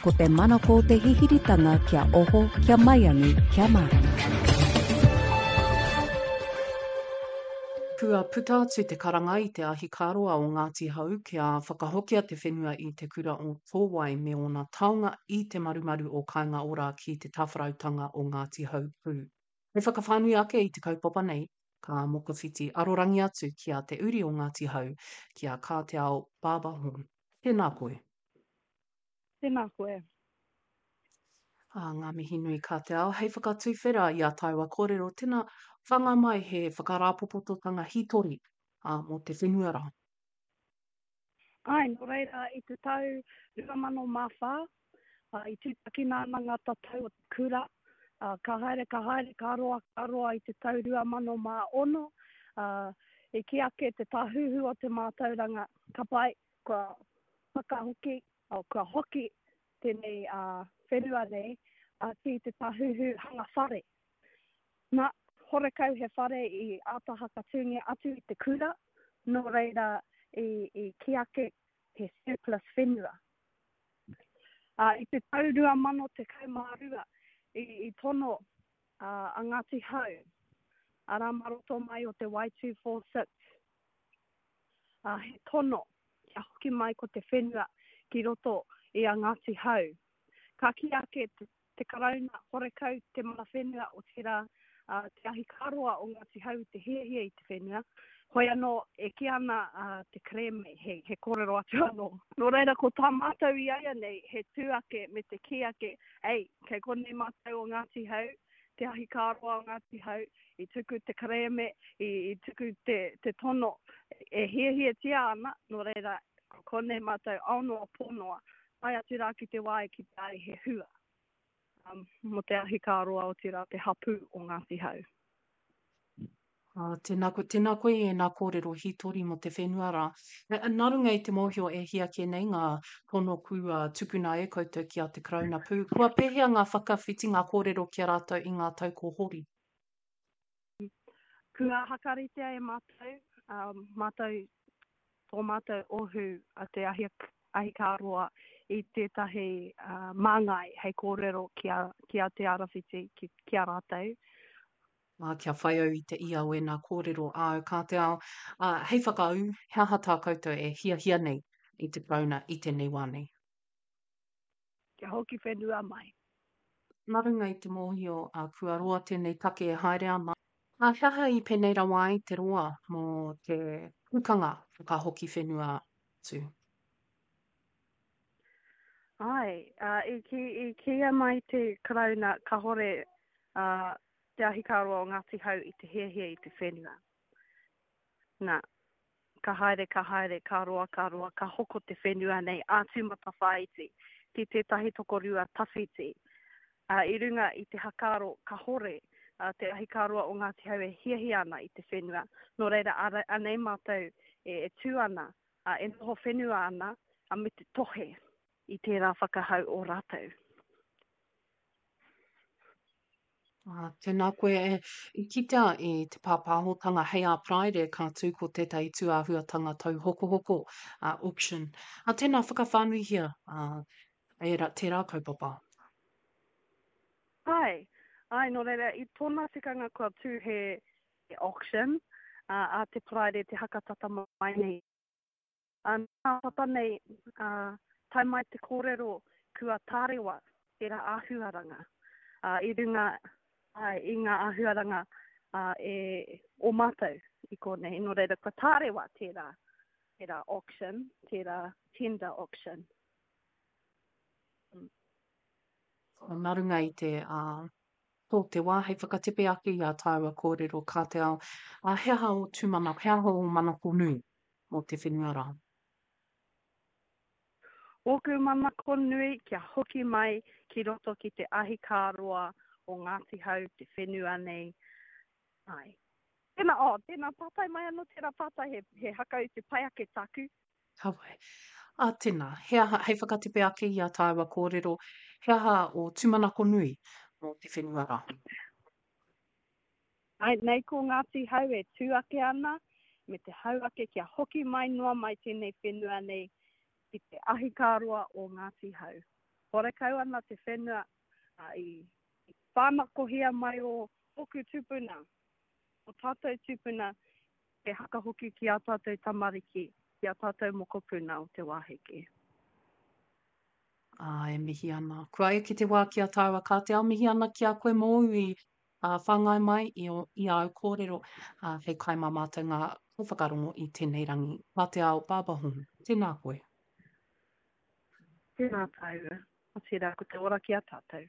Ko te manako o te hihiritanga kia oho, kia maiangi, kia mārama. Kua puta atu te karanga i te ahikāroa o Ngāti Hau kia whakahokia te whenua i te kura o Tōwai me ōna taonga i te marumaru o Kāinga Ora ki te tāwharautanga o Ngāti Hau pū. Hei whakawhānui ake i te kaupapa nei, ka mokowhiti arorangi atu ki a Te Uri o Ngāti Hau, ki a Kāteao Barber Horne. Tēnā koe. Tēnā koe. Ā, ngā mihi nui ka te ao. Hei whakatuwhera i a tāua kōrero, tēnā, whanga mai he whakarāpopototanga hītori, ā, mō te whenua rā. Āe, nō reira, i te tau 2004, ā, i tūtakina ana ngā tatau o te kura, ā, ka haere, ka haere, ka roa, ka roa i te tau 2006, ā, i kī ake te Tāhuhu o te Mātauranga, ka pai, kua whakahoki, oh, kua hoki tēnei whenua nei ki te tāhuhu hanga whare. Nā, horekau he whare i āta hakatūngia atu i te kura, nō reira i, i kī ake he surplus whenua. Uh, I te tau 2012 i, i tono uh, a Ngāti Hau, arā mā roto mai o te Y246, ā, he tono kia hoki mai ko te whenua ki roto i a Ngāti Hau. Ka kī ake te, te Karauna, horekau te mana whenua otirā, ā, te ahikāroa o Ngāti Hau i te hiahia i te whenua. Hoi anō, e kī ana a, te kerēme, he, he kōrero atu anō. Nō reira, ko tā mātou i aia nei, he tū ake me te kī ake, ei, kei konei mātou o Ngāti Hau, te ahikāroa o Ngāti Hau, i tuku te kerēme, i, i tuku te, te tono e hiahiatia ana, nō reira, ko konei mātou ao noa, pō noa, tae atu rā ki te wā e kitea ai he hua um, mō te ahikāroa, otirā te hapū o Ngāti Hau. Ā, tēnā koe, tēnā koe i ēnā kōrero hītori mō te whenua rā. Nā runga i te mōhio e hia kē nei ngā tono kua tukuna e koutou ki a te Karauna pū, kua pēhea ngā whakawhitinga kōrero ki a rātou i ngā tau ko hori? Kua hakaritea e mātou, ā, mātou, tō mātou ohu a Te Ahi, Ahikāroa i tētahi māngai hei kōrero ki a, ki a Te Arawhiti, ki, ki a rātou. Ā, kia whai au i te ia o ēnā kōrero āu ka te ao, ā, hei whakaū, he aha tā koutou e hiahia nei i te Karauna i tēnei wā nei? Kia hoki whenua mai. Nā runga i te mōhio, ā, kua roa tēnei take e haere ana, ā, he aha i pēnei rawa ai te roa mō te pukanga whakahoki whenua atu? Āe, ā, i kī, i kīia mai te Karauna kāore, ā, Te Ahikāroa o Ngāti Hau i te hiahia i te whenua. Nā, ka haere, ka haere, ka roa, ka roa, ka hoko te whenua nei a Tūmatawhāiti ki tētahi tokorua tawhiti. Ā, i runga i te hakaaro kahore a Te Ahikāroa o Ngāti Hau e hiahia ana i te whenua, nō reira anei mātou e, e tū ana, ā, e noho whenua ana, ā, me te tohe i tērā whakahau o rātou. Ā, tēnā koe e, i kitea i te pāpāhotanga hei ā Paraire ka tū ko tētahi tūāhuatanga tauhokohoko, ā, auction. Ā, tēnā whakawhānuihia, ā, ērā, tērā kaupapa. Āe, āe, nō reira, i tōna tikanga kua tū he, he auction, ā, ā te Paraire te hakatata mai nei. Ā, nā tata nei, ā, tae mai te kōrero kua tārewa tērā āhuaranga, ā, i runga, āe, i ngā āhuaranga, ā, e, o mātou i konei. Nō reira, kua tārewa tērā, tērā auction, tērā tender auction. Mm. Nā runga i te, ā, tō te wā hei whakatepe ake i ā tāua kōrero ka te ao, ā, he aha ō tūmanako, he aha ō manako nui mō te whenua rā? Ōku manako nui kia hoki mai ki roto ki te ahikāroa o Ngāti Hau te whenua nei, āe. Tēnā, oh, tēnā pātai mai anō tērā pātai, he, he hakautu pai ake tāku. Ka wai. Ā, tēnā, he aha, hei whakatepe ake i ā tāua kōrero, he aha ō tūmanako nui mō te whenua rā? Āe, nei ko Ngāti Hau e tū ake ana, me te hau ake kia hoki mai noa mai tēnei whenua nei ki te ahikāroa o Ngāti Hau. Horekau ana te whenua i whānakohia mai o ōku tūpuna, o tātou tūpuna e hakahoki ki ā tātou tamariki, ki ā tātou mokopuna o te wā heke. Ā, e mihi ana. Kua eke te wā ki a tāua ka te ao mihi ana ki a koe mōu i whāngai mai i, o, i āu kōrero, ā, hei kai mā mātou ngā kaiwhakarongo i tēnei rangi. Mā te ao, Barbara Horne. Tēnā koe. Tēnā tāua. Otirā, ko te ora ki a tātou.